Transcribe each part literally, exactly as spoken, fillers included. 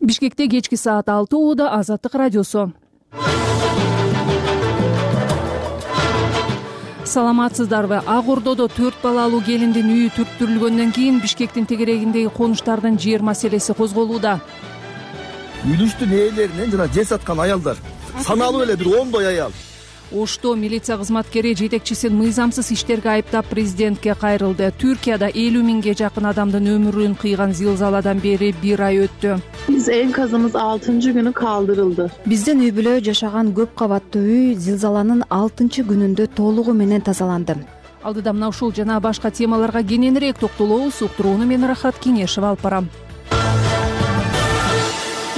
Бишкекте кечки саат алты ууда Азаттык радиосу. Саламатсыздарбы? Ак Ордодо төрт балалуу келиндин үйү түрттүрүлгөндөн кийин Бишкектин тегерегиндеги конуштардын жер маселеси козголууда. Үлүштүн ээлеринен жана жер саткан аялдар саналуу эле бир ондой аял. Ошто милиция кызматкери жетекчисин мыйзамсыз иштерге айыптап президентке кайрылды. Түркияда элүү миңге жакын адамдын өмүрүн кыйган зилзаладан бери бир ай өттү. Биз энказыбыз алтынчы күнү калтырылды. Биздин үй бүлө жашаган көп кабаттуу үй зилзаланын алтынчы күнүндө толугу менен тазаланды. Алдыда мына ушул жана башка темаларга кененирээк токтолобуз. Уктурууну мен Рахат Кеңешева алып барам.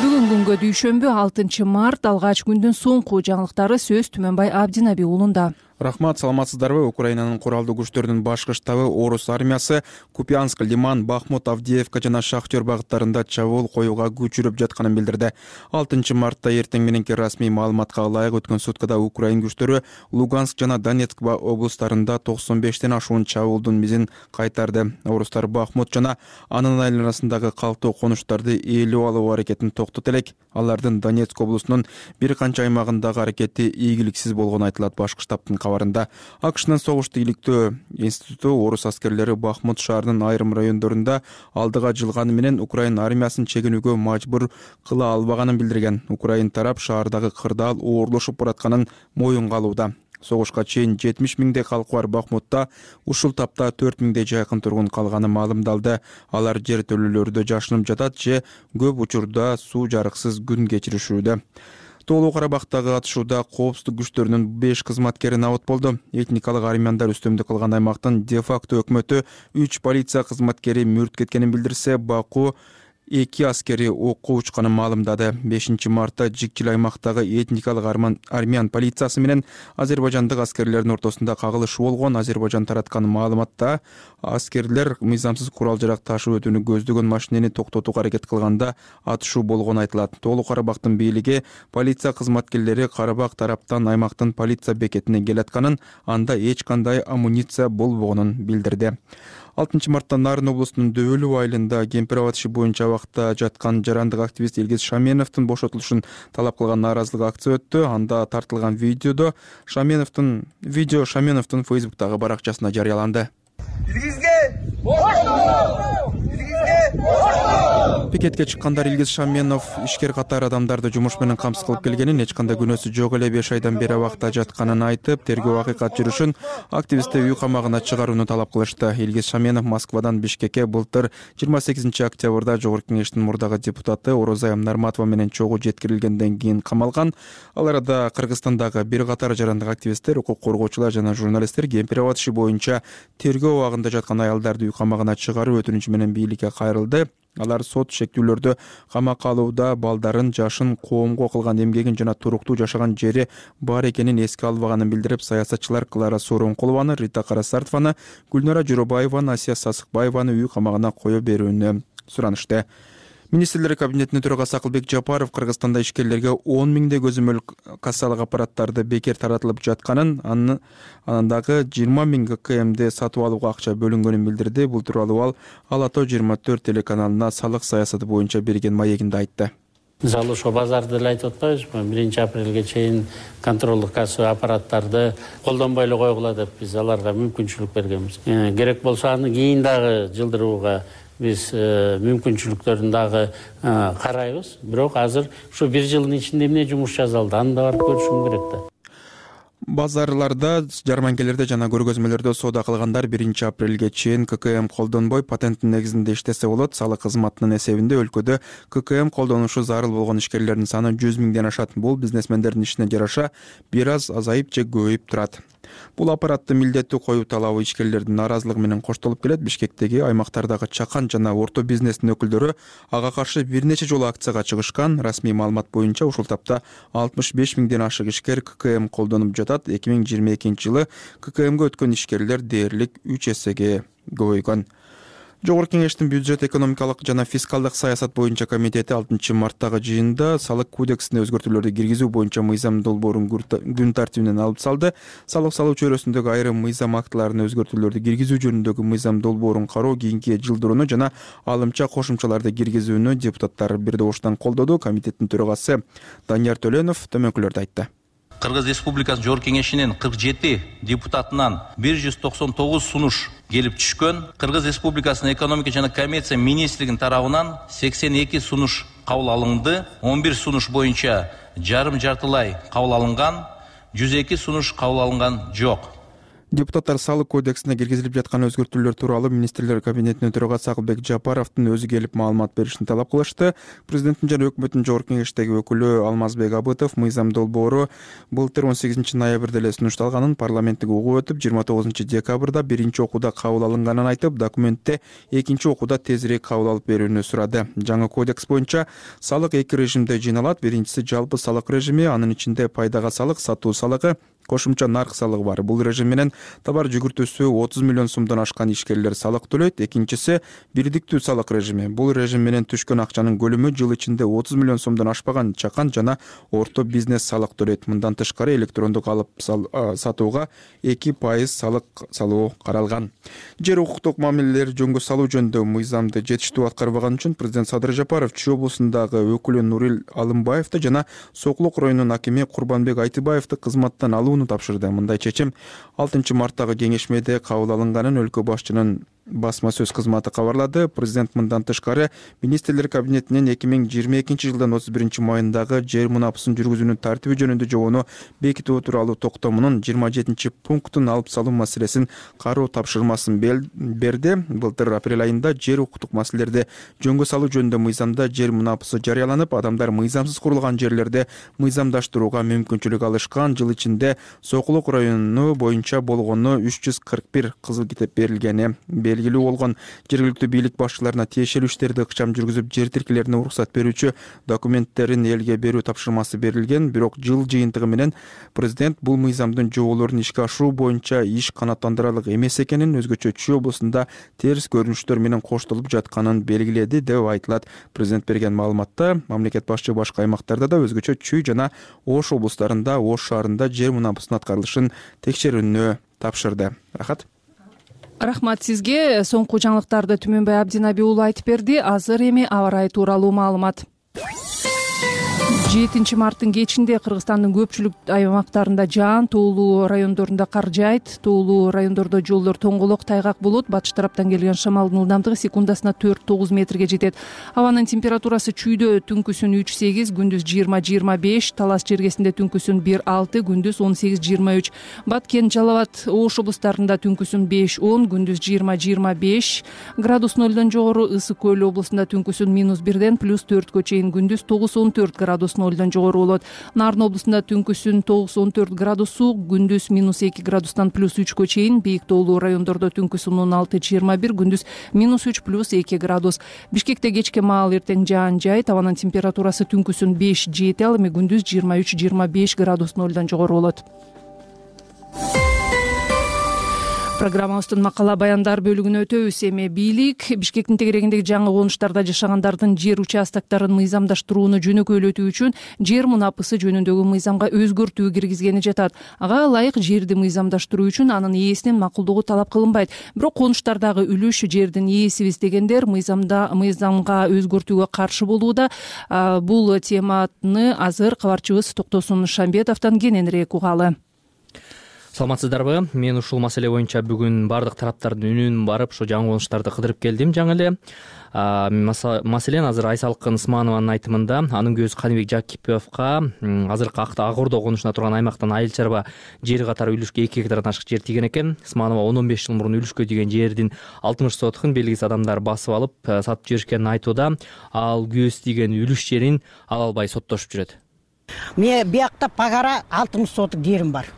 Бүгүн күнгө дүйшөмбү алтынчы март алгач күндүн соңку жаңылыктары сөз Түмөнбай Абдинаби уулунда. Рахмат, саламатсыздарбы? Украинанын куралдуу күчтөрүнүн башкы штабы Орус армиясы Купянск, Лиман, Бахмут, Авдеевка жана Шахтер багыттарында чабуул коюуга күчүрүп жатканын билдирди. алтынчы мартта эртең мененки расмий маалыматка ылайык өткөн суткада Украин күчтөрү Луганск жана Донецк облустарында токсон бештен ашуун чабуулдун мизин кайтарды. Орустар Бахмут жана анын айланасындагы калктуу конуштарды ээлеп алуу аракетин токтото элек. Алардын Донецк облусунун бир канча аймагындагы аракети ийгиликсиз болгону айтылат. Башкы штабтын кабарында АКШнын согушту иликтөө институту орус аскерлери Бахмут шаарынын айрым райондорунда алдыга жылганы менен Украин армиясын чегинүүгө мажбур кыла албаганын билдирген. Украин тарап шаардагы кырдаал оорлошуп баратканын моюнга алууда. Согушка чейин жетимиш миңдей калкы бар Бахмутта ушул тапта төрт миңдей жакын тургун калганы маалымдалды. Алар жер төлөлөрдө жашынып жатат же көп учурда суу жарыксыз күн кечиришүүдө. Тоолуу Карабактагы атышууда коопсуздук күчтөрүнүн беш кызматкери набыт болду. Этникалык армяндар үстөмдүк кылган аймактын де-факто өкмөтү үч полиция кызматкери мүрт кеткенин билдирсе, Баку эки аскери окко учканын маалымдады. бешинчи мартта Жикчил аймактагы этникалык армян полициясы менен азербайжандык аскерлердин ортосунда кагылышуу болгон. Азербайжан тараткан маалыматта аскерлер мыйзамсыз курал-жарак ташып өтүүнү көздөгөн машинени токтотууга аракет кылганда атышуу болгону айтылат. Тоолуу Карабактын бийлиги полиция кызматкерлери Карабак тараптан аймактын полиция бекетине келатканын, анда эч кандай амуниция болбогонун билдирди. алтынчы мартта Нарын облусунун Дөөлүү айылында кемпир абад иши боюнча абакта жаткан жарандык активист Илгиз Шаменовдун бошотулушун талап кылган нааразылык акция өттү. Анда тартылган видеодо Шаменовдун видео Шаменовдун Фейсбуктагы баракчасына жарыяланды. Пикетке чыккандар Илгиз Шаменов ишкер катар адамдарды жумуш менен камсыз кылып келгенин, эч кандай күнөөсү жок эле беш айдан бери абакта жатканын айтып, тергөө акыйкат жүрүшүн активистти үй камагына чыгарууну талап кылышты. Илгиз Шаменов Москвадан Бишкекке былтыр жыйырма сегизинчи октябрда Жогорку Кеңештин мурдагы депутаты Орозайым Нарматова менен чогуу жеткирилгенден кийин камалган. Ал арада Кыргызстандагы бир катар жарандык активисттер, укук коргоочулар жана журналисттер кемпир абад иши боюнча тергөө абагында жаткан аялдарды үй камагына чыгаруу өтүнүчү менен бийликке кайрылды. Алар сот шектүүлөрдө камакка алууда балдарын, жашын, коомго кылган эмгегин жана туруктуу жашаган жери бар экенин эске албаганын билдирип, саясатчылар Клара Сооронкулованы, Рита Карасартованы, Гүлнара Журобаеваны, Асия Сасыкбаеваны үй камагына кое берүүнү суранышты. Министрлер кабинетинин төрагасы Акылбек Жапаров Кыргызстанда ишкерлерге он миңдей көзөмөл кассалык аппараттарды бекер таратылып жатканын, анындагы жыйырма миң КМди сатып алууга акча бөлүнгөнүн билдирди. Бул тууралуу ал Ала Тоо жыйырма төрт телеканалына салык саясаты боюнча берген маегинде айтты. Мисалы ошо базарды эле айтып атпайбызбы? биринчи апрелге чейин контролдук кассалык аппараттарды колдонбой эле койгула деп биз аларга мүмкүнчүлүк бергенбиз. Керек болсо аны кийин дагы жылдырууга биз мүмкүнчүлүктөрүн дагы карайбыз. Бирок азыр ушу бир жылдын ичинде эмне жумуш жасалды, аны да барып көрүшүм керек да. Базарларда, жарманкелерде жана көргөзмөлөрдө соода кылгандар биринчи апрелге чейин ККМ колдонбой патенттин негизинде иштесе болот. Салык кызматынын эсебинде өлкөдө ККМ колдонушу зарыл болгон ишкерлердин саны жүз миңден ашат. Бул бизнесмендердин ишине жараша бир аз азайып же көбөйүп турат. Бул аппаратты милдеттүү коюу талабы ишкерлердин нааразылыгы менен коштолуп келет. Бишкектеги аймактардагы чакан жана орто бизнестин өкүлдөрү ага каршы бир нече жолу акцияга чыгышкан. Расмий маалымат боюнча ушул тапта алтымыш беш миңден ашык ишкер ККМ колдонуп жатат. эки миң жыйырма экинчи жылы ККМге өткөн ишкерлер дээрлик үч эсеге көбөйгөн. Жогорку Кеңештин бюджет, экономикалык жана фискалдык саясат боюнча комитети алтынчы марттагы жыйында салык кодексине өзгөртүүлөрдү киргизүү боюнча мыйзам долбоорун күн тартибинен алып салды. Салык салуу чөйрөсүндөгү айрым мыйзам актыларына өзгөртүүлөрдү киргизүү жөнүндөгү мыйзам долбоорун кароо кийинки жылдырууну жана алымча кошумчаларды киргизүүнү депутаттар бир добуштан колдоду. Комитеттин төрагасы Данияр Төленов төмөнкүлөрдү айтты. Кыргыз Республикасы Жогорку Кеңешинин кырк жети депутатынан бир жүз токсон тогуз сунуш келип түшкөн. Кыргыз Республикасынын экономика жана коммерция министрлигинин тарабынан сексен эки сунуш кабыл алынды. он бир сунуш боюнча жарым жартылай кабыл алынган, жүз эки сунуш кабыл алынган жок. Депутаттар салык кодексине киргизилип жаткан өзгөртүүлөр тууралуу министрлер кабинетинин төрагасы Акылбек Жапаровдун өзү келип маалымат беришин талап кылышты. Президенттин жана өкмөттүн Жогорку Кеңештеги өкүлү Алмазбек Абытов мыйзам долбоору былтыр он сегизинчи ноябрда эле сунушталганын, парламенттик угуп өтүп жыйырма тогузунчу декабрда биринчи окууда кабыл алынганын айтып, документте экинчи окууда тезирээк кабыл алып берүүнү сурады. Жаңы кодекс боюнча салык эки режимде жыйналат. Биринчиси жалпы салык режими, анын ичинде пайдага салык, сатуу салыгы, кошумча нарк салыгы бар. Бул режим менен товар жүгүртүүсү отуз миллион сомдон ашкан ишкерлер салык төлөйт. Экинчиси бирдиктүү салык режими. Бул режим менен түшкөн акчанын көлөмү жыл ичинде отуз миллион сомдон ашпаган чакан жана орто бизнес салык төлөйт. Мындан тышкары электрондук алып сатууга эки пайыз салык салуу каралган. Жер укуктук мамилелер жөнгө салуу жөнүндө мыйзамды жетиштүү аткарбаган үчүн президент Садыр Жапаров Чүй облусундагы өкүлү Нурил Алымбаевди жана Сокулук районунун акими Курбанбек Айтыбаевди кызматтан алууну тапшырды. Мындай чечим алтынчы марттагы кеңешмеде кабыл алынганын өлкө башчынын басма сөз кызматы кабарлады. Президент мындан тышкары министрлер кабинетинин эки миң жыйырма экинчи жылдын отуз биринчи майындагы жер мунапысын жүргүзүүнүн тартиби жөнүндө жобону бекитүү тууралуу токтомунун жыйырма жетинчи пунктун алып салуу маселесин кароо тапшырмасын берди. Былтыр апрель айында жер укуктук маселелерди жөнгө салуу жөнүндө мыйзамда жер мунапысы жарыяланып, адамдар мыйзамсыз курулган жерлерде мыйзамдаштырууга мүмкүнчүлүк алышкан. Жыл ичинде Сокулук району боюнча болгону үч жүз кырк бир кызыл китеп берилгени белгилүү болгон. Жергиликтүү бийлик башчыларына тиешелүү иштерди ыкчам жүргүзүп, жер тилкелерине уруксат берүүчү документтерин элге берүү тапшырмасы берилген. Бирок жыл жыйынтыгы менен президент бул мыйзамдын жоболорун ишке ашыруу боюнча иш канааттандырарлык эмес экенин, өзгөчө Чүй облусунда терс көрүнүштөр менен коштолуп жатканын белгиледи деп айтылат. Президент берген маалыматта мамлекет башчы башка аймактарда да, өзгөчө Чүй жана Ош облустарында, Ош шаарында жер мунапысынын аткарылышын текшерүүнү тапшырды. Рахат. Рахмат сизге. Соңку жаңылыктарды Түмөнбай Абдинаби уулу айтып берди. Азыр эми аба ырайы тууралуу маалымат. жетинчи марттын кечинде Кыргызстандын көпчүлүк аймактарында жаан, тоолуу райондорунда кар жаайт. Тоолуу райондордо жолдор тоңголок, тайгак болот. Батыш тараптан келген шамалдын ылдамдыгы секундасына төрт тогуз метрге жетет. Абанын температурасы Чүйдө түнкүсүн үч сегиз, күндүз жыйырма жыйырма беш, Талас жергесинде түнкүсүн бир алты, күндүз он сегиз жыйырма үч. Баткен, Жалал абад, Ош облустарында түнкүсүн беш он, күндүз жыйырма жыйырма беш градус нолдон жогору. Ысык көл облусунда түнкүсүн минус бирден плюс төрткө чейин, күндүз тогуз он төрт градус нолдон жогору болот. Нарын облусунда түнкүсүн тогуз он төрт градус суук, күндүз минус эки градустан плюс үчкө чейин. Бийик тоолуу райондордо түнкүсүн он алты жыйырма бир, күндүз минус үч плюс эки градус. Бишкекте кечке маал эртең жаан жайт. Абанын температурасы түнкүсүн беш жети, ал эми күндүз жыйырма үч жыйырма беш градус нолдон жогору болот. Программабыздын макала баяндар бөлүгүнө өтөбүз. Эми бийлик Бишкектин тегерегиндеги жаңы конуштарда жашагандардын жер участоктарын мыйзамдаштырууну жөнөкөйлөтүү үчүн жер мунапысы жөнүндөгү мыйзамга өзгөртүү киргизгени жатат. Ага ылайык жерди мыйзамдаштыруу үчүн анын ээсинин макулдугу талап кылынбайт. Бирок конуштардагы үлүш жердин ээсибиз дегендер мыйзамда мыйзамга өзгөртүүгө каршы болууда. Бул теманы азыр кабарчыбыз Токтосун Шамбетовдон кененирээк угалы. Саламатсыздарбы? Мен ушул маселе боюнча бүгүн бардык тараптардын үнүн барып, ошо жаңы конуштарды кыдырып келдим жаңы эле. Маселен, азыр Айсалкын Ысманованын айтымында анын көзү Каныбек Жакиповго азыркы Ак Ордо конушуна турган аймактан айыл чарба жер катары үлүшкө эки гектардан ашык жер тийген экен. Ысманова он он беш жыл мурун үлүшкө тийген жердин алтымыш сотукун белгисиз адамдар басып алып сатып жиберишкенин айтууда. Ал көз тийген үлүш жерин ала албай соттошуп жүрөт. Мен биякта пагара алтымыш сотук жерим бар.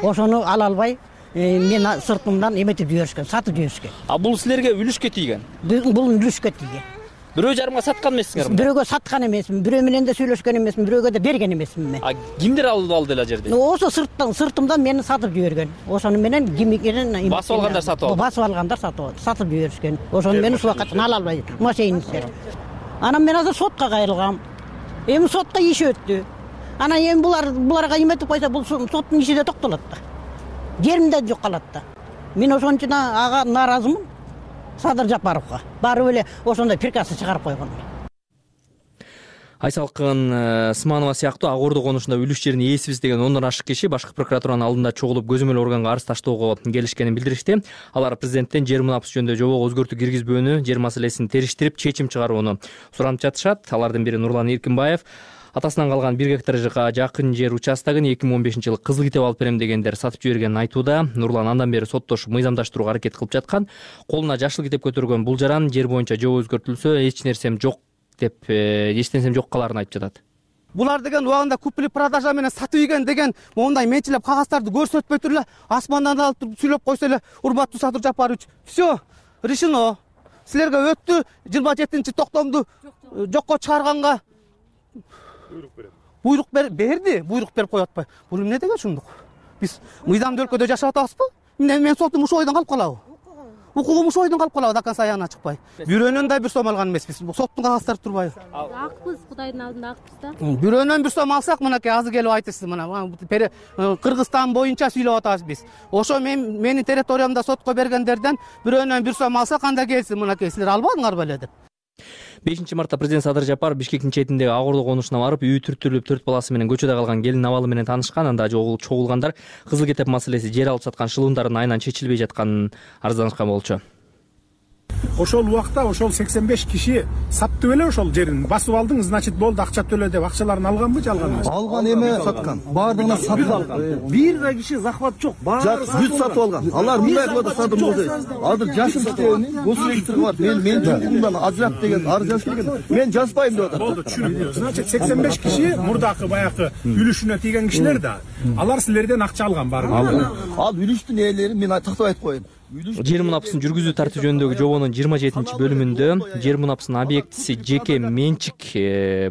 Ошону ала албай, мен сыртымдан эметип жиберишкен, сатып жиберишкен. А бул силерге үлүшкө тийген? Бул үлүшкө тийген. бирөө жарымга саткан эмессиңер? Бирөөгө саткан эмесмин, бирөө менен да сүйлөшкөн эмесмин, бирөөгө да берген эмесмин мен. А кимдер алып алды эле жерди? Ошо сырттан, сыртымдан мени сатып жиберген. Ошону менен кимикенен басып алгандар сатып алды. Басып алгандар сатып алды, сатып жиберишкен. Ошону мен ушул убакыттан ала албай машиништер. Анан мен азыр сотко кайрылгам. Эми сотко иш өттү. Анан эми булар буларга эметип койсо, бул соттун иши да токтолот да. Жерим да жок калат да. Мен ошон үчүн ага нааразымын. Садыр Жапаровго барып эле ошондой приказ чыгарып койгон. Айсалкын Сманова сыяктуу Ак Ордо конушунда үлүш жерин ээсибиз деген ондон ашык киши башкы прокуратуранын алдында чогулуп көзөмөл органга арыз таштоого келишкенин билдиришти. Алар президенттен жер мунапыс жөнүндө жобого өзгөртүү киргизбөөнү, жер маселесин териштирип чечим чыгарууну суранып жатышат. Алардын бири Нурлан Эркинбаев. Атасынан калган бир гектарга жакын жер участогун эки миң он бешинчи жылы кызыл китеп алып берем дегендер сатып жибергенин айтууда. Нурлан андан бери соттошуп мыйзамдаштырууга аракет кылып жаткан. Колуна жашыл китеп көтөргөн бул жаран жер боюнча жобо өзгөртүлсө эч нерсем жок деп эч нерсем жок каларын айтып жатат. Булар деген убагында купли продажа менен сатып ийген деген мондай менчилеп кагаздарды көрсөтпөй туруп эле асмандан алып туруп сүйлөп койсо эле, урматтуу Садыр Жапарович, все решено. Силерге өттү жыйырма жетинчи токтомду жокко чыгарганга буйрук берди, буйрук берип коюп атпайбы? Бул эмне деген ушундук? Биз мыйзамдуу өлкөдө жашап атабызбы? Мен мен сотум ушул ойдон калып калабы? Укугум ушул ойдон калып калабы, до конца аягына чыкпай. Бирөөнөн да бир сом алган эмеспиз. Соттун кагаздары турбайбы? Акпыз, Кудайдын алдында акпыз да. Бирөөнөн бир сом алсак, мынакей азыр келип айтасыз, мына Кыргызстан боюнча сүйлөп атабыз биз. Ошо мен менин территориямда сотко бергендерден бирөөнөн бир сом алсак, анда келсин, мынакей силер албадыңарбы эле деп. бешинчи мартта президент Садыр Жапаров Бишкектин четиндеги Ак Ордо конушуна барып, үйү түртүрүлүп төрт баласы менен көчөдө калган келин абалы менен таанышкан. Анда чогулгандар кызыл китеп маселеси жер алып саткан шылымдардын айынан чечилбей жатканын арызданышкан болчу. Ошол убакта ошол сексен беш киши сатты беле ошол жерин. Басып алдың, значит болду, акча төлө деп акчаларын алганбы, жалганбы? Алган эме саткан. Баардыгына сатып алган. Бир да киши захват жок. Баары бүт сатып алган. Алар мындай кылып сатып алды. Азыр жашыл китебини госрегистрге бар. Мен мен жумумдан ажырап деген арыз жазып келген. Мен жазбайм деп атат. Болду, түшүндүм. Значит сексен беш киши мурдакы баягы үлүшүнө тийген кишилер да. Алар силерден акча алган баары. Ал үлүштүн ээлери мен тактап айтып коеюн. Жер мунапысын жүргүзүү тартиби жөнүндөгү жобонун жыйырма жетинчи бөлүмүндө жер мунапысынын объектиси жеке менчик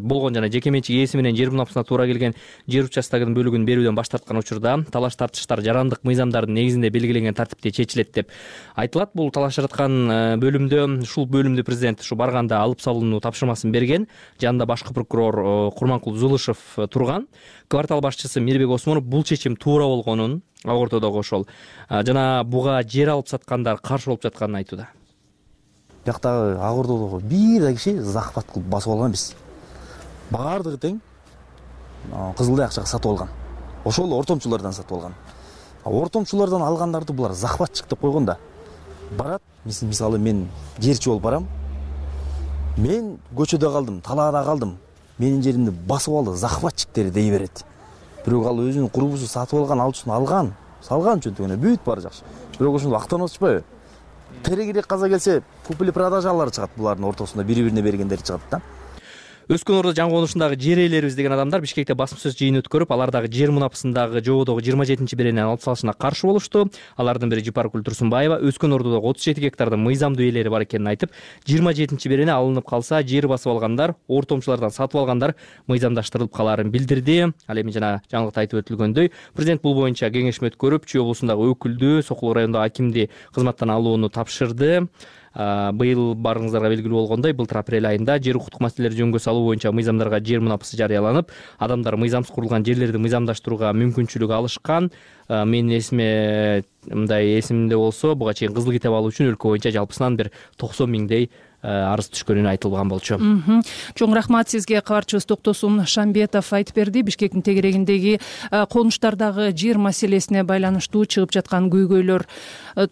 болгон жана жеке менчик ээси менен жер мунапысына туура келген жер участогунун бөлүгүн берүүдөн баш тарткан учурда талаш тартыштар жарандык мыйзамдардын негизинде белгиленген тартипте чечилет деп айтылат. Бул талашып жаткан бөлүмдө ушул бөлүмдү президент ушу барганда алып салууну тапшырмасын берген. Жанында башкы прокурор Курманкул Зулышев турган. Квартал башчысы Мирбек Осмонов бул чечим туура болгонун, Ак Ордодогу ошол жана буга жер алып саткандар каршы болуп жатканын айтууда. Бияктагы Ак Ордодогу бир да киши захват кылып басып алган эмес. Баардыгы тең кызылдай акчага сатып алган. Ошол ортомчулардан сатып алган. Ортомчулардан алгандарды булар захватчык деп койгон да. Барат, мисалы мен жерчи болуп барам. Мен көчөдө калдым, талаада калдым. Менин жеримди басып алды, захватчиктер дей берет. Бирок ал өзүнүн курбусу сатып алган, ал үчүн алган, салган чөнтөгүнө бүт баары жакшы. Бирок ошондо актанып атышпайбы? Терегирээк каза келсе, купли продажалар чыгат, булардын ортосунда бири-бирине бергендер чыгат да. Өскөн Ордо жаңы конушундагы жер ээлерибиз деген адамдар Бишкекте басма сөз жыйын өткөрүп, алардагы жер мунапысындагы жободогу жыйырма жетинчи беренени алып салышына каршы болушту. Алардын бири Жипаркүл Турсунбаева Өскөн Ордодогу отуз жети гектардын мыйзамдуу ээлери бар экенин айтып, жыйырма жетинчи берене алынып калса, жер басып алгандар, ортомчулардан сатып алгандар мыйзамдаштырылып калаарын билдирди. Ал эми жана жаңылыкта айтып өтүлгөндөй, президент бул боюнча кеңешме өткөрүп, Чүй облусундагы өкүлдү, Сокул районундагы акимди кызматтан алууну тапшырды. Быйыл барыңыздарга белгилүү болгондой, былтыр апрель айында жер укуктук маселелери жөнгө салуу боюнча мыйзамдарга жер мунапысы жарыяланып, адамдар мыйзамсыз курулган жерлерди мыйзамдаштырууга мүмкүнчүлүк алышкан. Менин эсиме мындай эсимде болсо, буга чейин кызыл китеп алуу үчүн өлкө боюнча жалпысынан бир токсон миңдей арыз түшкөнү айтылган болчу. Чоң рахмат сизге. Кабарчыбыз Токтосун Шамбетов айтып берди. Бишкектин тегерегиндеги конуштардагы жер маселесине байланыштуу чыгып жаткан көйгөйлөр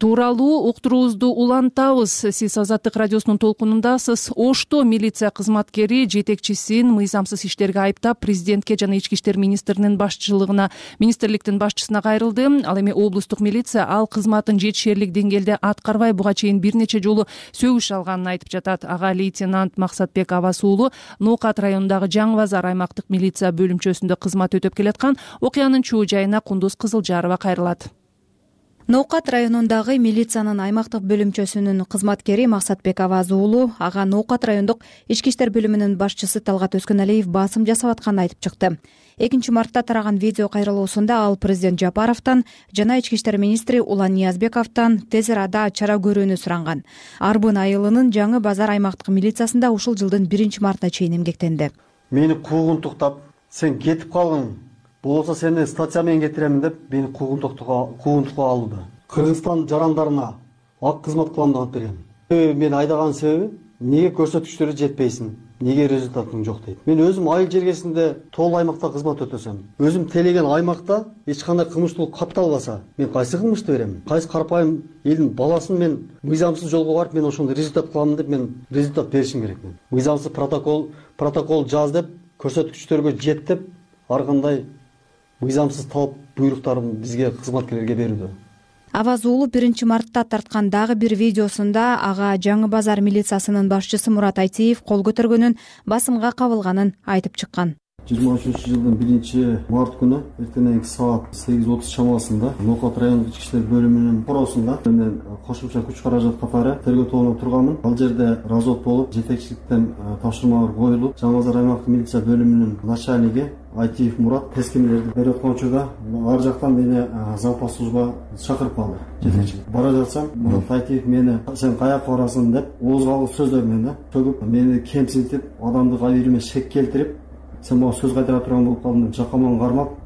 тууралуу уктуруубузду улантабыз. Сиз Азаттык радиосунун толкунундасыз. Ошто милиция кызматкери жетекчисин мыйзамсыз иштерге айыптап, президентке жана ички иштер министринин башчылыгына, министрликтин башчысына кайрылды. Ал эми облустук милиция ал кызматын жетишерлик деңгээлде аткарбай, буга чейин бир нече жолу сөгүш алганын айтып жатат. Ага лейтенант Максатбек Абас уулу Ноокат районундагы Жаңы Базар аймактык милиция бөлүмчөсүндө кызмат өтөп келаткан. Окуянын чоо жайына Кундуз Кызылжарова кайрылат. Ноокат районундагы милициянын аймактык бөлүмчөсүнүн кызматкери Максатбек Аваз уулу ага Ноокат райондук ички иштер бөлүмүнүн башчысы Талгат Өскөналиев басым жасап атканын айтып чыкты. экинчи мартта тараган видео кайрылуусунда ал президент Жапаровдон жана ички иштер министри Улан Ниязбековдон тез арада чара көрүүнү суранган. Арбын айылынын Жаңы Базар аймактык милициясында ушул жылдын биринчи мартына чейин эмгектенди. Мени куугунтуктап, сен кетип калгың, болбосо сени статья менен кетиремин деп мени куугунтукка алууда. Кыргызстан жарандарына ак кызмат кылам деп берген. Мен айдаган себеби неге көрсөткүчтөрү жетпейсиң, неге результатың жок дейт. Мен өзүм айыл жергесинде тоол аймакта кызмат өтөсөм, өзүм тейлеген аймакта эч кандай кылмыштуулук катталбаса, мен кайсы кылмышты берем? Кайсы карапайым элдин баласын мен мыйзамсыз жолго барып, мен ошондой результат кылам деп мен результат беришим керек. Мен мыйзамсыз протокол протокол жаз деп, көрсөткүчтөргө жет деп, ар кандай мыйзамсыз талап буйруктарын бизге кызматкерлерге берүүдө. Аваз уулу биринчи мартта тарткан дагы бир видеосунда ага Жаңы Базар милициясынын башчысы Мурат Айтиев кол көтөргөнүн, басымга кабылганын айтып чыккан. жыйырма үчүнчү жылдын биринчи март күнү эртеңки саат сегиз отуз чамасында Ноокат райондук ички иштер бөлүмүнүн коросунда мен кошумча күч каражат катары тергөө тобуна турганмын. Ал жерде развод болуп, жетекчиликтен тапшырмалар коюлуп, Жаңы Базар аймактык милиция бөлүмүнүн начальниги Айтиев Мурат тескемелерди берип аткан учурда ар жактан мени запас служба чакырып калды. Жетекчилик бара жатсам, Мурат Айтиев мени сен каяка барасың деп ооз калгыс сөздөр менен төгүп, мени кемсинтип, адамдык абийириме шек келтирип, сен мага сөз кайтара турган болуп калдың деп жакаман кармап,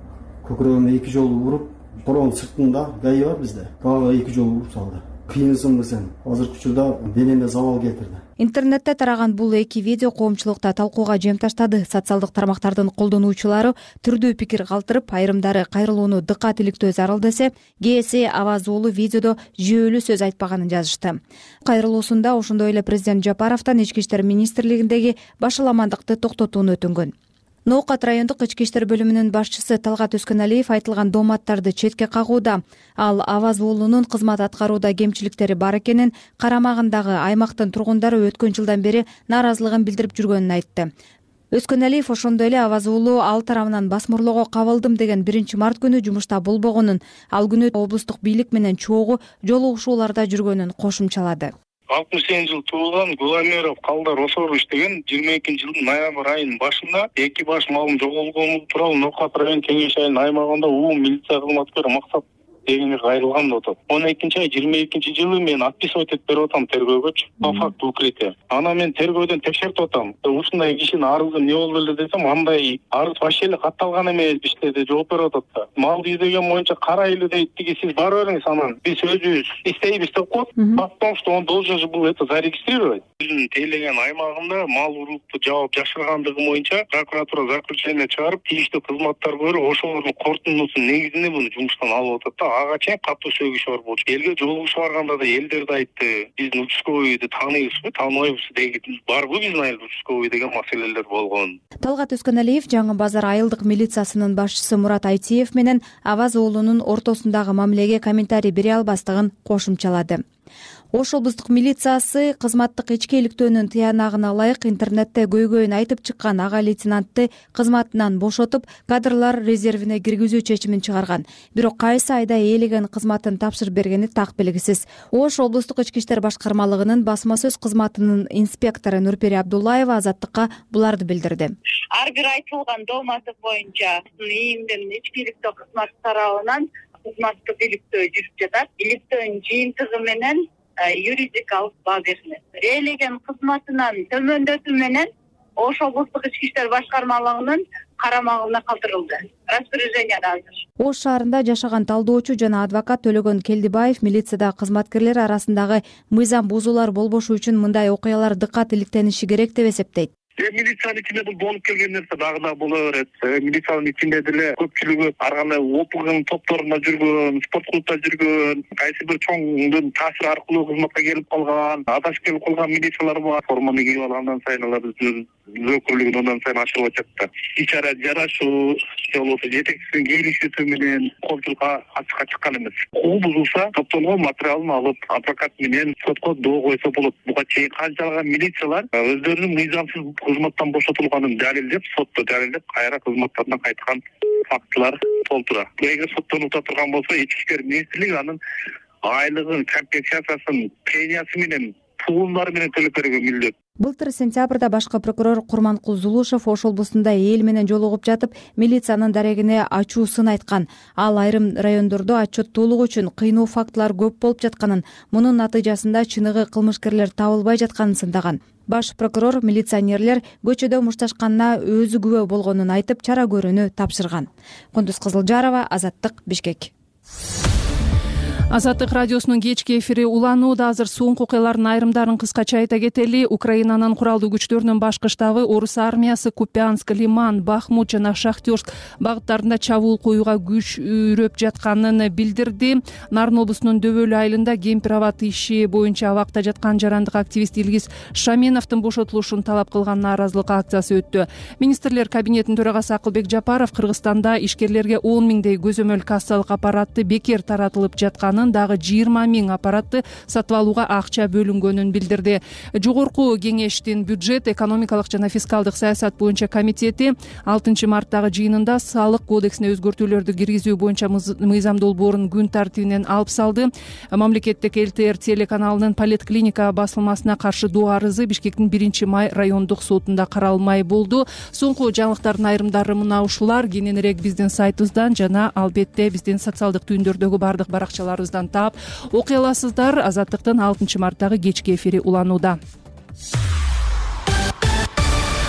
көкүрөгүмө эки жолу уруп, коронун сыртында гаи бар бизде, дагы эки жолу уруп салды. Кыйынсыңбы сен? Азыркы учурда денеме забал келтирди. Интернетте тараган бул эки видео коомчулукта талкууга жем таштады. Социалдык тармактардын колдонуучулары түрдүү пикир калтырып, айрымдары кайрылууну дыккат иликтөө зарыл десе, кээси Аваз уулу видеодо жүйөлүү сөз айтпаганын жазышты. Кайрылуусунда ошондой эле президент Жапаровдон ички иштер министрлигиндеги башаламандыкты токтотууну өтүнгөн. Ноокат райондук ички иштер бөлүмүнүн башчысы Талгат Өскөналиев айтылган дооматтарды четке кагууда. Ал Аваз уулунун кызмат аткарууда кемчиликтери бар экенин, карамагындагы аймактын тургундары өткөн жылдан бери нааразылыгын билдирип жүргөнүн айтты. Өскөналиев ошондой эле Аваз уулу ал тарабынан басмырлоого кабылдым деген биринчи март күнү жумушта болбогонун, ал күнү облустук бийлик менен чогуу жолугушууларда жүргөнүн кошумчалады. алтымыш сегизинчи жылы туулган Гуламеров Калдар Осорович деген жыйырма экинчи жылдын ноябрь айынын башында эки баш малым жоголгону тууралуу Ноокат район кеңеш айылынын аймагында УУ милиция кызматкери Максат дегенге кайрылган деп атат. он экинчи ай жыйырма экинчи жылы мен отписывать этип берип атам тергөөгөчү по факту укрытия. Ана мен тергөөдөн текшертип атам. Ушундай кишинин арызы эмне болду эле десем, андай арыз вообще эле катталган эмес бизде деп жооп берип атат да. Малды издеген боюнча карайлы дейт, тиги сиз бара бериңиз анан биз өзүбүз иштейбиз деп коет. Потому что он должен же был это зарегистрировать. Биздин тейлеген аймагында мал урукту жаап жашыргандыгы боюнча прокуратура заключение чыгарып, тийиштүү кызматтар көрүп, ошолордун корутундусунун негизинде буну жумуштан алып атат да. Ага чейин катуу сөгүш бар болчу. Элге жолугушуп барганда да элдер да айтты, биздин участковыйды тааныйбызбы, тааныбайбыз деген барбы биздин айыл участковый деген маселелер болгон. Талгат Өскөналиев Жаңы Базар айылдык милициясынын башчысы Мурат Айтиев менен Аваз уулунун ортосундагы мамилеге комментарий бере албастыгын кошумчалады. Ош облустук милициясы кызматтык ичкиликтөөнүн тыянагына ылайык интернетте көйгөйүн айтып чыккан ага лейтенантты кызматынан бошотуп, кадрлар резервине киргизүү чечимин чыгарган. Бирок кайсы айда ээлеген кызматын тапшырып бергени так белгисиз. Ош облустук ички иштер башкармалыгынын басма сөз кызматынын инспектору Нурпери Абдуллаева Азаттыкка буларды билдирди. Ар бир айтылган дооматы боюнча ийимден ичкиликтөө кызматы тарабынан кызматтык иликтөө жүрүп жатат. Иликтөөнүн жыйынтыгы менен юридикалык баа берилет. Ээлеген кызматынан төмөндөтүү менен Ош облустук ички иштер башкармалыгынын карамагына калтырылды. Распоряжение азыр. Ош шаарында жашаган талдоочу жана адвокат Төлөгөн Келдибаев милициядагы кызматкерлер арасындагы мыйзам бузуулар болбошу үчүн мындай окуялар дыккат иликтениши керек деп эсептейт. Милициянын ичинде бул болуп келген нерсе дагы да боло берет. Милициянын ичинде деле көпчүлүгү ар кандай опугун топторунда жүргөн, спорт клубда жүргөн, кайсы бир чоңдун таасири аркылуу кызматка келип калган, адашып келип калган милициялар бар. Форманы кийип алгандан сайын алар өздөрүнүн өкүлдүгүн андан сайын ачылып атат да. Ичара жарашуу, же болбосо жетекчисинин келишүүсү менен коомчулукка ачыкка чыккан эмес. Укук бузулса, топтолгон материалын алып, адвокат менен сотко доо койсо болот. Буга чейин канчалаган милициялар өздөрүнүн мыйзамсыз кызматтан бошотулганын далилдеп, сотто далилдеп, кайра кызматтарына кайткан фактылар болуп турат. Эгер соттолуп турган болсо ички иштер министрлиги анын айлыгын, компенсациясын, премиясы менен, пулдары менен төлөп берүүгө милдет. Былтыр сентябрда башкы прокурор Курманкул Зулушев Ош облусунда эл менен жолугуп жатып, милициянын дарегине ачуусун айткан. Ал айрым райондордо отчеттуулук үчүн кыйноо фактылар көп болуп жатканын, мунун натыйжасында чыныгы кылмышкерлер табылбай жатканын сындаган. Баш прокурор милиционерлер көчөдө мушташканына өзү күбө болгонун айтып, чара көрүүнү тапшырган. Кундуз Кызылжарова, Азаттык, Бишкек. Азаттык радиосунун кечки эфири уланууда. Азыр соңку окуялардын айрымдарын кыскача айта кетели. Украинанын куралдуу күчтөрүнүн башкы штабы орус армиясы Купянск, Лиман, Бахмут жана Шахтерск багыттарында чабуул коюуга күч үйрөп жатканын билдирди. Нарын облусунун Дөбөлү айылында кемпир абат иши боюнча абакта жаткан жарандык активист Илгиз Шаменовдун бошотулушун талап кылган нааразылык акциясы өттү. Министрлер кабинетинин төрагасы Акылбек Жапаров Кыргызстанда ишкерлерге он миңдей көзөмөл кассалык аппаратты бекер таратылып жаткан, дагы жыйырма миң аппаратты сатып алууга акча бөлүнгөнүн билдирди. Жогорку кеңештин бюджет, экономикалык жана фискалдык саясат боюнча комитети алтынчы марттагы жыйынында салык кодексине өзгөртүүлөрдү киргизүү боюнча мыйзам долбоорун күн тартибинен алып салды. Мамлекеттик эл тэ эр телеканалынын поликлиника басылмасына каршы доо арызы Бишкектин биринчи май райондук сотунда каралмай болду. Соңку жаңылыктардын айрымдары мына ушулар. Кененирээк биздин сайтыбыздан жана албетте биздин социалдык түйүндөрдөгү бардык баракчаларыбыздан таап окуй аласыздар. Азаттыктын алтынчы марттагы кечки эфири уланууда.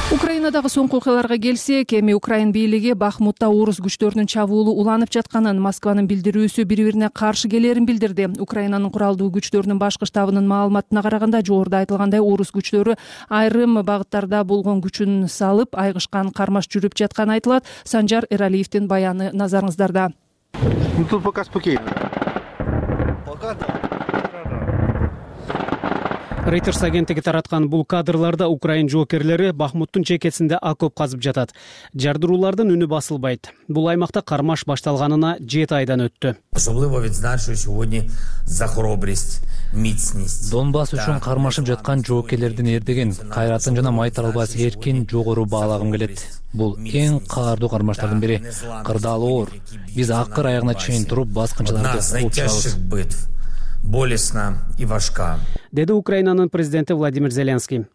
Украинадагы соңку окуяларга келсек, эми Украин бийлиги Бахмутта орус күчтөрүнүн чабуулу уланып жатканын, Москванын билдирүүсү бири-бирине каршы келерин билдирди. Украинанын куралдуу күчтөрүнүн башкы штабынын маалыматына караганда, жогоруда айтылгандай орус күчтөрү айрым багыттарда болгон күчүн салып, айгышкан кармаш жүрүп жатканы айтылат. Санжар Эралиевдин баяны назарыңыздарда. Тут пока спокойно. Reuters агенттиги тараткан бул кадрларда украин жоокерлери Бахмуттун чекесинде окоп казып жатат. Жардыруулардын үнү басылбайт. Бул аймакта кармаш башталганына жети айдан өттү. Особливо відзначую сьогодні за хоробрість, міцність. Донбасс үчүн кармашып жаткан жоокерлердин эрдигин, кайратын жана май таралбас эркин жогору баалагым келет. Бул эң каардуу кармаштардын бири. Кырдаалы оор. Биз акыр аягына чейин туруп баскынчыларды кууп чыгабыз. Болесна и важка. Деди Украинанын президенти Владимир Зеленский.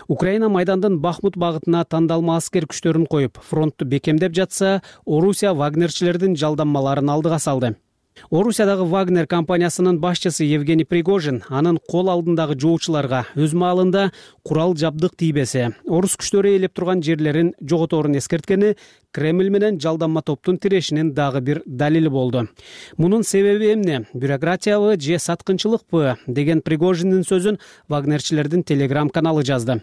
Украина майдандын Бахмут багытына тандалма аскер күчтөрүн коюп, фронтту бекемдеп жатса, Орусия вагнерчилердин жалданмаларын алдыга салды. Орусиядагы Вагнер компаниясынын башчысы Евгений Пригожин анын кол алдындагы жоочуларга өз маалында курал жабдык тийбесе, орус күчтөрү ээлеп турган жерлерин жоготорун эскерткени Кремль менен жалданма топтун тирешинин дагы бир далили болду. Мунун себеби эмне? Бюрократиябы же саткынчылыкпы деген Пригожиндин сөзүн вагнерчилердин телеграм каналы жазды.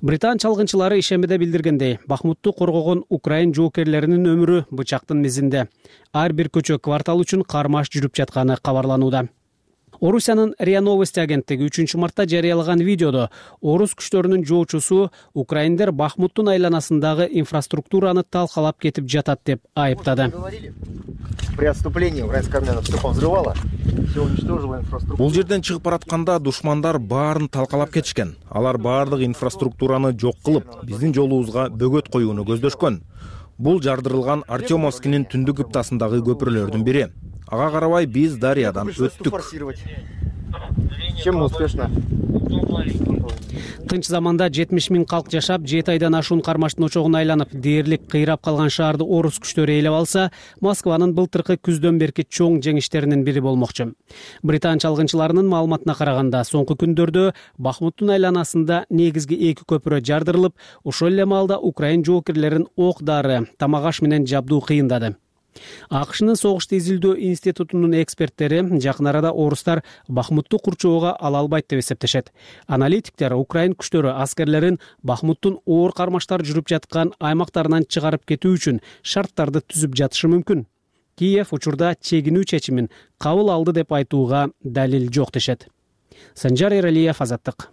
Британ чалгынчылары ишембиде билдиргендей, Бахмутту коргогон украин жоокерлеринин өмүрү бычактын мизинде. Ар бир көчө квартал үчүн кармаш жүрүп жатканы кабарланууда. Орусиянын РИА Новости агенттиги үчүнчү мартта жарыялаган видеодо орус күчтөрүнүн жоочусу украиндер Бахмуттун айланасындагы инфраструктураны талкалап кетип жатат деп айыптады. При отступлении украинская армия все повзрывала, все уничтожила инфраструктуру. Бул жерден чыгып баратканда душмандар баарын талкалап кетишкен. Алар баардык инфраструктураны жок кылып, биздин жолубузга бөгөт коюуну көздөшкөн. Бул жардырылган Артемовскинин түндүк ыптасындагы көпүрөлөрдүн бири. Ага карабай биз Дариядан өттүк. Чем успешно? Тынч заманда жетимиш миң калк жашап, жети айдан ашуун кармаштын очогуна айланып, дээрлик кыйрап калган шаарды орус күчтөрү ээлеп алса, Москванын былтыркы күздөн берки чоң жеңиштеринин бири болмокчу. Британ чалгынчыларынын маалыматына караганда, соңку күндөрдө Бахмуттун айланасында негизги эки көпүрө жардырылып, ошол эле маалда украин жоокерлерин ок дары, тамак аш менен жабдуу кыйындады. АКШнын согушту изилдөө институтунун эксперттери жакын арада орустар Бахмутту курчоого ала албайт деп эсептешет. Аналитиктер украин күчтөрү аскерлерин Бахмуттун оор кармаштар жүрүп жаткан аймактарынан чыгарып кетүү үчүн шарттарды түзүп жатышы мүмкүн. Киев учурда чегинүү чечимин кабыл алды деп айтууга далил жок дешет. Санжар Эралиев, Азаттык.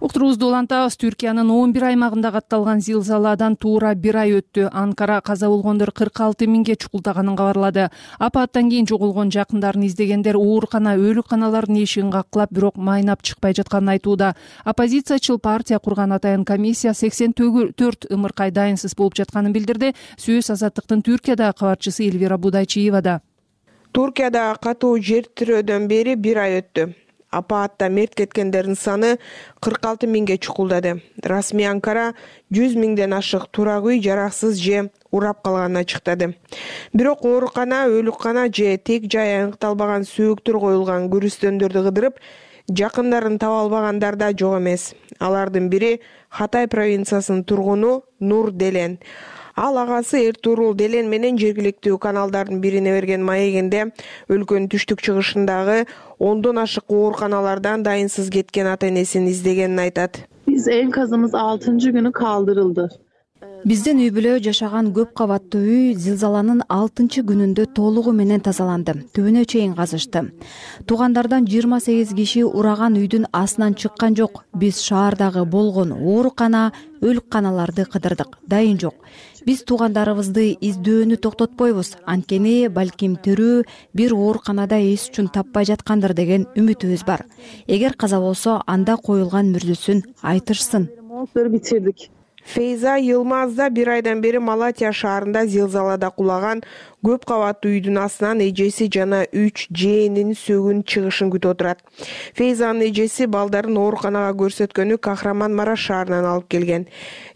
Уктуруубузду улантабыз. Түркиянын он бир аймагында катталган зилзаладан туура бир ай өттү. Анкара каза болгондор кырк алты миңге чукулдаганын кабарлады. Апаттан кийин жоголгон жакындарын издегендер оорукана, өлүкканалардын эшигин каккылап, бирок майнап чыкпай жатканын айтууда. Оппозициячыл партия курган атайын комиссия сексен төрт ымыркай дайынсыз болуп жатканын билдирди. Сөз Азаттыктын Түркиядагы кабарчысы Эльвира Будайчиевада. Туркияда катуу жер тирөөдөн бери бир ай өттү. Апаатта мерт кеткендердин саны кырк алты миңге чукулдады. Расмий Анкара жүз миңден ашык турак үй жараксыз же урап калганын ачыктады. Бирок оорукана, өлүккана же тек жай аныкталбаган сөөктөр коюлган күрүстөндөрдү кыдырып, жакындарын таба албагандар да жок эмес. Алардын бири Хатай провинциясынын тургуну Нур Делен. Ал агасы Эртурул Делен менен жергиликтүү каналдардын бирине берген маегинде өлкөнүн түштүк чыгышындагы ондон ашык ооруканалардан дайынсыз кеткен ата-энесин издегенин айтат. Биз энказымыз алтынчы күнү калтырылды. Биздин үй бүлө жашаган көп кабаттуу үй зилзаланын алтынчы күнүндө толугу менен тазаланды. Түбүнө чейин казышты. Туугандардан жыйырма сегиз киши ураган үйдүн астынан чыккан жок. Биз шаардагы болгон оорукана, өлүкканаларды кыдырдык. Дайын жок. Биз туугандарыбызды издөөнү токтотпойбуз. Анткени балким тирүү бир ооруканада эс үчүн таппай жаткандыр деген үмүтүбүз бар. Эгер каза болсо, анда коюлган мүрзөсүн айтышсын. Битирдик. Фейза Йылмазда бир айдан бери Малатия шаарында зилзалада кулаган көп кабаттуу үйдүн астынан эжеси жана үч жээнинин сөгүн чыгышын күтүп отурат. Фейзанын эжеси балдарын ооруканага көрсөткөнү Кахраман-Мараш шаарынан алып келген.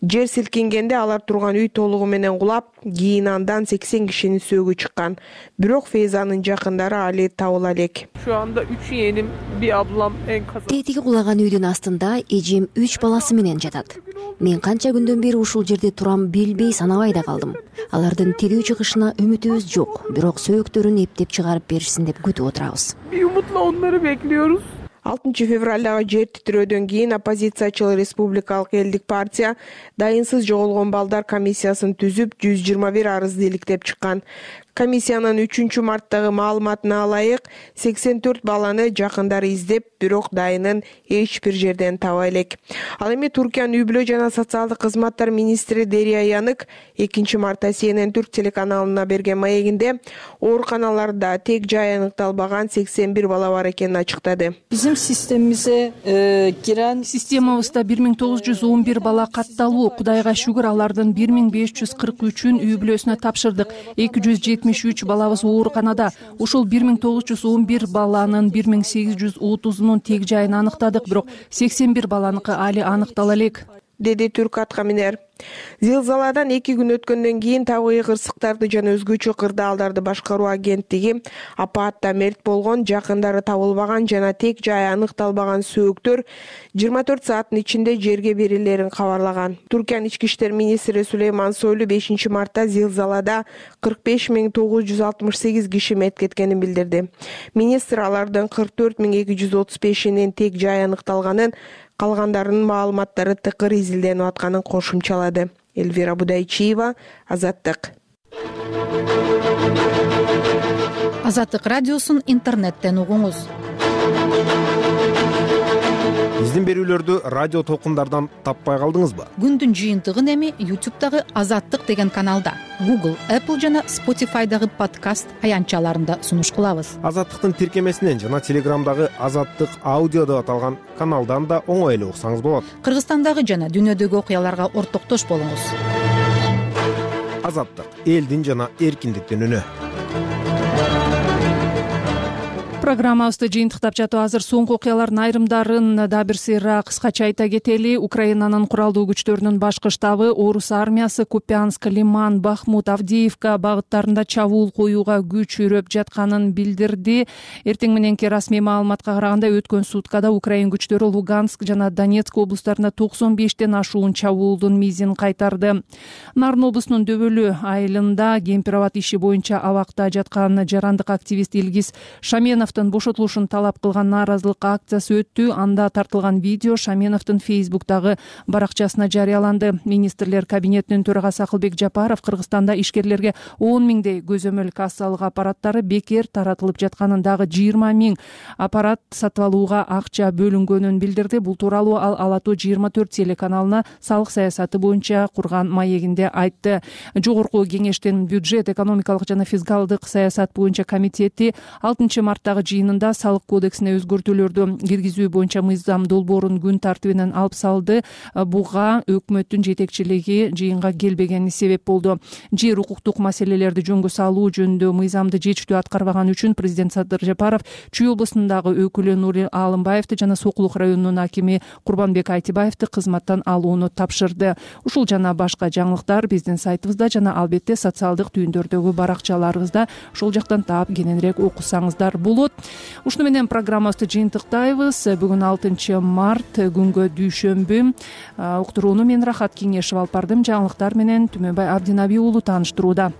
Жер силкингенде алар турган үй толугу менен кулап, кийин андан сексен кишинин сөгү чыккан. Бирок Фейзанын жакындары али табыла элек. Şu anda üç yeğenim, bir ablam enkazda. Тетиги кулаган үйдүн астында эжем үч баласы менен жатат. Мен канча күндөн бери ушул жерде турам билбей санабай да калдым. Алардын тирүү чыгышына үмүтүбүз жок, бирок сөөктөрүн эптеп чыгарып беришсин деп күтүп отурабыз. Bir umutla onları bekliyoruz. алтынчы февралдагы жер титирөөдөн кийин оппозициячыл Республикалык элдик партия дайынсыз жоголгон балдар комиссиясын түзүп жүз жыйырма бир арызды иликтеп чыккан. Комиссиянын үчүнчү марттагы маалыматына ылайык сексен төрт баланы жакындары издеп, бирок дайынын эч бир жерден таба элек. Ал эми Туркиянын үй бүлө жана социалдык кызматтар министри Дерия Янык экинчи мартта Си Эн Эн Түрк телеканалына берген маегинде ооруканаларда тек жай аныкталбаган сексен бир бала бар экенин ачыктады. Bizim sistemimize giren системабызда бир миң тогуз жүз он бир бала катталуу. Кудайга шүгүр, алардын бир миң беш жүз кырк үчүн үй бүлөсүнө тапшырдык. эки жүз жетимиш үч балабыз ооруканада. Ушул бир миң тогуз жүз он бир баланын бир миң сегиз жүз отузунун тег жайын аныктадык, бирок сексен бир баланыкы али аныктала элек, деди түрк аткаминер. Зилзаладан эки күн өткөндөн кийин табигый кырсыктарды жана өзгөчө кырдаалдарды башкаруу агенттиги апаатта мерт болгон, жакындары табылбаган жана тек жай аныкталбаган сөөктөр жыйырма төрт сааттын ичинде жерге берилерин кабарлаган. Туркиянын ички иштер министри Сулейман Сойлу бешинчи мартта зилзалада кырк беш миң тогуз жүз алтымыш сегиз киши мерт кеткенин билдирди. Министр алардын кырк төрт миң эки жүз отуз бешинин тек жай аныкталганын, калгандарынын маалыматтары тыкыр изилденип атканын кошумчалады. Эльвира Будайчиева, Азаттык. Азаттык радиосун интернеттен угуңуз. Биздин берүүлөрдү радио толкундардан таппай калдыңызбы? Күндүн жыйынтыгын эми ютубтагы Азаттык деген каналда, Google, Apple жана Spotify'дагы подкаст аянтчаларында сунуш кылабыз. Азаттыктын тиркемесинен жана Телеграмдагы Азаттык аудио деп аталган каналдан да оңой эле уксаңыз болот. Кыргызстандагы жана дүйнөдөгү окуяларга ортоктош болуңуз. Азаттык — элдин жана эркиндиктин үнү. Программабызды жыйынтыктап жатып азыр соңку окуялардын айрымдарын да бир сыйра кыскача айта кетели. Украинанын куралдуу күчтөрүнүн башкы штабы орус армиясы Купянск, Лиман, Бахмут, Авдеевка багыттарында чабуул коюуга күч үрөп жатканын билдирди. Эртең мененки расмий маалыматка караганда өткөн суткада Украин күчтөрү Луганск жана Донецк облустарында токсон бештен ашуун чабуулдун мизин кайтарды. Нарын облусунун Дөбөлү айылында Кемпирабад иши боюнча абакта жаткан жарандык активист Илгиз Шаменов Шаменовдун бошотулушун талап кылган нааразылык акциясы өттү. Анда тартылган видео Шаменовдун Фейсбуктагы баракчасына жарыяланды. Министрлер кабинетинин төрагасы Акылбек Жапаров Кыргызстанда ишкерлерге он миңдей көзөмөл кассалык аппараттары бекер таратылып жатканын, дагы жыйырма миң аппарат сатып алууга акча бөлүнгөнүн билдирди. Бул тууралуу ал Ала тоо жыйырма төрт телеканалына салык саясаты боюнча курган маегинде айтты. Жогорку кеңештин бюджет, экономикалык жана фискалдык саясат боюнча комитети алтынчы марттагы жыйынында салык кодексине өзгөртүүлөрдү киргизүү боюнча мыйзам долбоорун күн тартибинен алып салды. Буга өкмөттүн жетекчилиги жыйынга келбегени себеп болду. Жер укуктук маселелерди жөнгө салуу жөнүндө мыйзамды жетиштүү аткарбаган үчүн президент Садыр Жапаров Чүй облусундагы өкүлү Нури Алымбаевди жана Сокулук районунун акими Курбанбек Айтибаевди кызматтан алууну тапшырды. Ушул жана башка жаңылыктар биздин сайтыбызда жана албетте социалдык түйүндөрдөгү баракчаларыбызда, ошол жактан таап кененирээк окусаңыздар болот. Ушуну менен программабызды жыйынтыктайбыз. Бүгүн алтынчы март, күнгө дүйшөмбү. Уктурууну мен Рахат Кеңешев алып бардым. Жаңылыктар менен Түмөнбай Абдинаби уулу тааныштырууда.